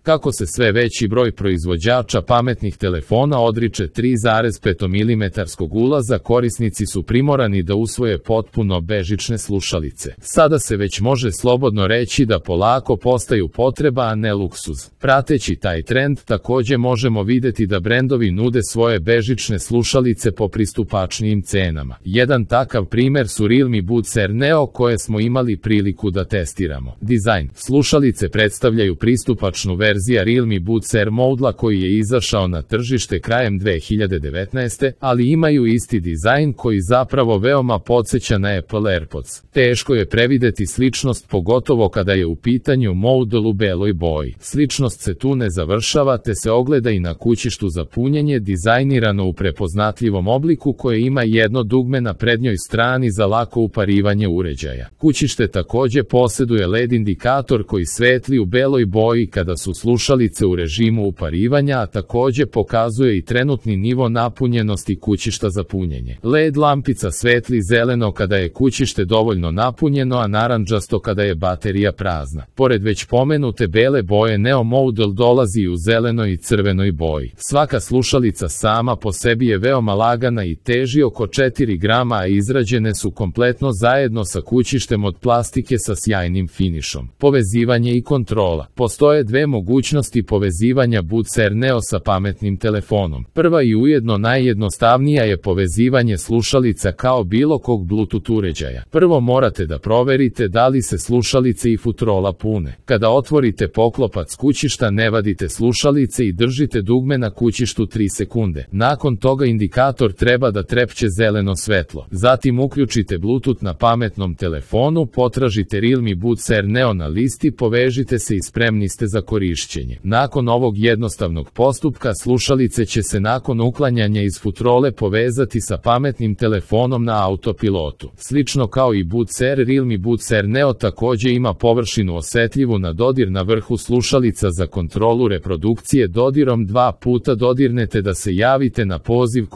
Kako se sve veći broj proizvođača pametnih telefona odriče 3,5 mm ulaza, korisnici su primorani da usvoje potpuno bežične slušalice. Sada se već može slobodno reći da polako postaju potreba, a ne luksuz. Prateći taj trend, takođe možemo videti da brendovi nude svoje bežične slušalice po pristupačnijim cenama. Jedan takav primer su Realme Buds Air Neo koje smo imali priliku da testiramo. Dizajn. Slušalice predstavljaju pristupačnu verziju Realme Buds Air modela koji je izašao na tržište krajem 2019. ali imaju isti dizajn koji zapravo veoma podsjeća na Apple AirPods. Teško je prevideti sličnost, pogotovo kada je u pitanju model u beloj boji. Sličnost se tu ne završava te se ogleda i na kućištu za punjenje, dizajnirano u prepoznatljivom obliku koje ima jedno dugme na prednjoj strani za lako uparivanje uređaja. Kućište takođe posjeduje LED indikator koji svetli u beloj boji kada su slušalice u režimu uparivanja, a takođe pokazuje i trenutni nivo napunjenosti kućišta za punjenje. LED lampica svetli zeleno kada je kućište dovoljno napunjeno, a narandžasto kada je baterija prazna. Pored već pomenute bele boje, Neo model dolazi u zelenoj i crvenoj boji. Svaka slušalica sama po sebi je veoma lagana i teži oko 4 grama, a izrađene su kompletno zajedno sa kućištem od plastike sa sjajnim finišom. Povezivanje i kontrola. Postoje dve mogućnosti povezivanja Buds Air Neo sa pametnim telefonom. Prva i ujedno najjednostavnija je povezivanje slušalica kao bilo kog Bluetooth uređaja. Prvo morate da proverite da li se slušalice i futrola pune. Kada otvorite poklopac kućišta, ne vadite slušalice i držite dugme na kućištu 3 sekunde. Nakon toga indikator treba da trepće zeleno svetlo. Zatim uključite Bluetooth na pametnom telefonu, potražite Realme Buds Air Neo na listi, povežite se i spremni ste za korišćenje. Nakon ovog jednostavnog postupka, slušalice će se nakon uklanjanja iz futrole povezati sa pametnim telefonom na autopilotu. Slično kao i Buds Air, Realme Buds Air Neo takođe ima površinu osetljivu na dodir na vrhu slušalica za kontrolu reprodukcije. Dodirom 2 puta dodirnete da se javite na poziv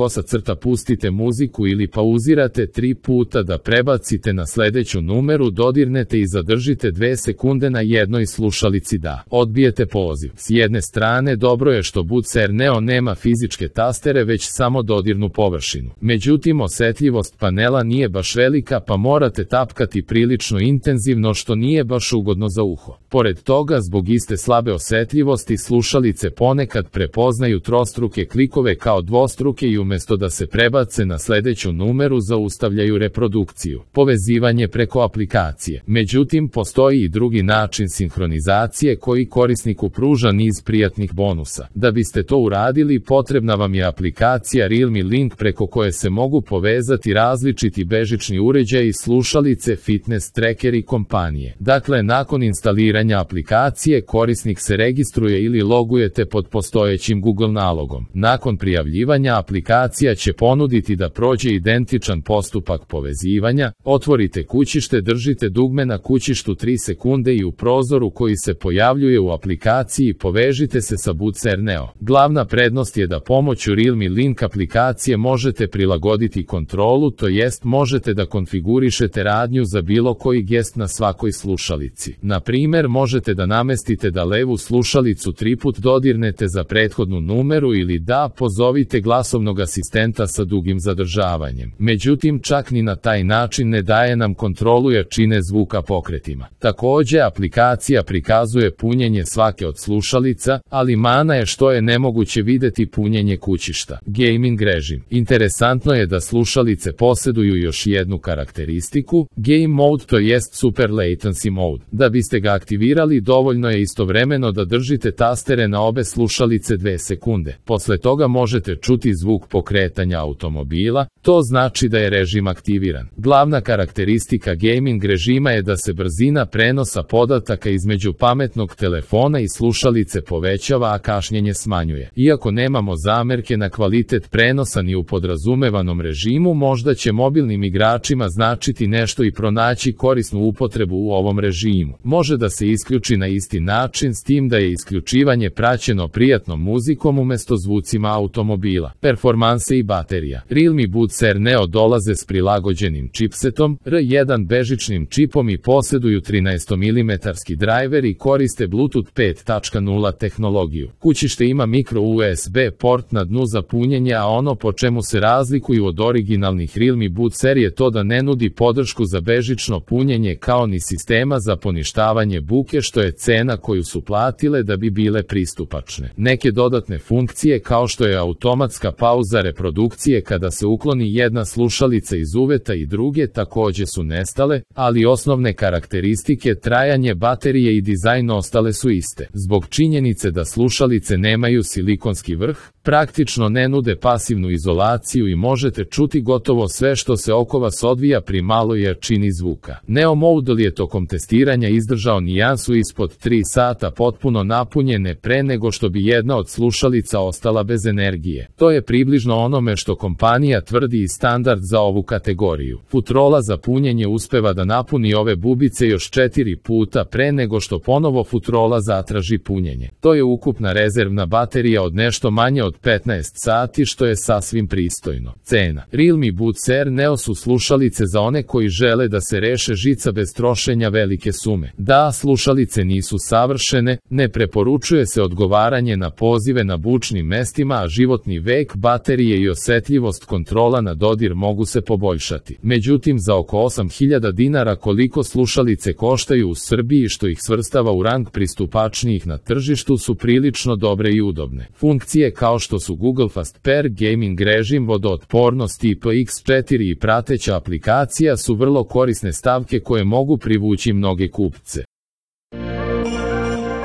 pustite muziku ili pauzirate 3 puta da prebacite na sledeću numeru, dodirnete i zadržite 2 sekunde na jednoj slušalici da odbijete poziv. S jedne strane dobro je što Buds Air Neo nema fizičke tastere već samo dodirnu površinu. Međutim, osetljivost panela nije baš velika pa morate tapkati prilično intenzivno što nije baš ugodno za uho. Pored toga, zbog iste slabe osetljivosti, slušalice ponekad prepoznaju trostruke klikove kao dvostruke i umesto da se prebace na sledeću numeru zaustavljaju reprodukciju. Povezivanje preko aplikacije. Međutim, postoji i drugi način sinhronizacije koji korisniku pruža niz prijatnih bonusa. Da biste to uradili, potrebna vam je aplikacija Realme Link preko koje se mogu povezati različiti bežični uređaji, slušalice, fitness tracker i kompanije. Dakle, nakon instaliranja aplikacije, korisnik se registruje ili logujete pod postojećim Google nalogom. Nakon prijavljivanja, aplikacija će ponuditi da prođe identičan postupak povezivanja. Otvorite kućište, držite dugme na kućištu 3 sekunde i u prozoru koji se pojavljuje u aplikaciji povežite se sa Buds Air Neo. Glavna prednost je da pomoću Realme Link aplikacije možete prilagoditi kontrolu, to jest možete da konfigurišete radnju za bilo koji gest na svakoj slušalici. Na primer, možete da namestite da levu slušalicu 3 put dodirnete za prethodnu numeru ili da pozovite glasovnog asistenta sa dugim zadržavanjem. Međutim, čak ni na taj način ne daje nam kontrolu jačine zvuka pokretima. Takođe, aplikacija prikazuje punjenje svake od slušalica, ali mana je što je nemoguće videti punjenje kućišta. Gaming režim. Interesantno je da slušalice posjeduju još jednu karakteristiku, Game Mode, to jest Super Latency Mode. Da biste ga aktivirali, dovoljno je istovremeno da držite tastere na obe slušalice 2 sekunde. Posle toga možete čuti zvuk pokretanja automobila, to znači da je režim aktiviran. Glavna karakteristika gaming režima je da se brzina prenosa podataka između pametnog telefona i slušalice povećava, a kašnjenje smanjuje. Iako nemamo zamerke na kvalitet prenosa ni u podrazumevanom režimu, možda će mobilnim igračima značiti nešto i pronaći korisnu upotrebu u ovom režimu. Može da se isključi na isti način, s tim da je isključivanje praćeno prijatnom muzikom umesto zvucima automobila. Performanse i baterija. Realme Buds Air Neo dolaze s prilagođenim čipsetom R1 bežičnim čipom i posjeduju 13 mm driver i koriste Bluetooth 5.0 tehnologiju. Kućište ima micro USB port na dnu za punjenje, a ono po čemu se razlikuju od originalnih Realme Bucer je to da ne nudi podršku za bežično punjenje kao ni sistema za poništavanje buke, što je cena koju su platile da bi bile pristupačne. Neke dodatne funkcije kao što je automatska pauza reprodukcije kada se ukloni jedna slušalica iz uveta i druge takođe su nestale, ali osnovne karakteristike, trajanje baterije i dizajn ostale su iste. Zbog činjenice da slušalice nemaju silikonski vrh, praktično ne nude pasivnu izolaciju i možete čuti gotovo sve što se oko vas odvija pri maloj jačini zvuka. Neo Model je tokom testiranja izdržao nijansu ispod 3 sata potpuno napunjene pre nego što bi jedna od slušalica ostala bez energije. To je približno onome što kompanija tvrdi i standard za ovu kategoriju. Futrola za punjenje uspeva da napuni ove bubice još 4 puta pre nego što ponovo Futrola zatraži punjenje. To je ukupna rezervna baterija od nešto manje od 15 sati, što je sasvim pristojno. Cena. Realme Bucer Neo su slušalice za one koji žele da se reše žica bez trošenja velike sume. Da, slušalice nisu savršene, ne preporučuje se odgovaranje na pozive na bučnim mestima, a životni vek baterije i osetljivost kontrola na dodir mogu se poboljšati. Međutim, za oko 8.000 dinara koliko slušalice koštaju u Srbiji, što ih svrstava u rang pristupačnijih na tržištu, su prilično dobre i udobne. Funkcije kao što su Google Fast Pair, gaming režim, vodootpornost IPX4 i prateća aplikacija su vrlo korisne stavke koje mogu privući mnoge kupce.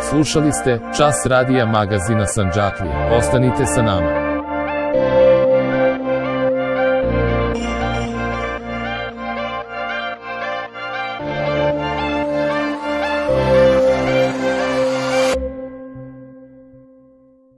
Slušali ste Čas radija magazina Sandžaklija. Ostanite sa nama.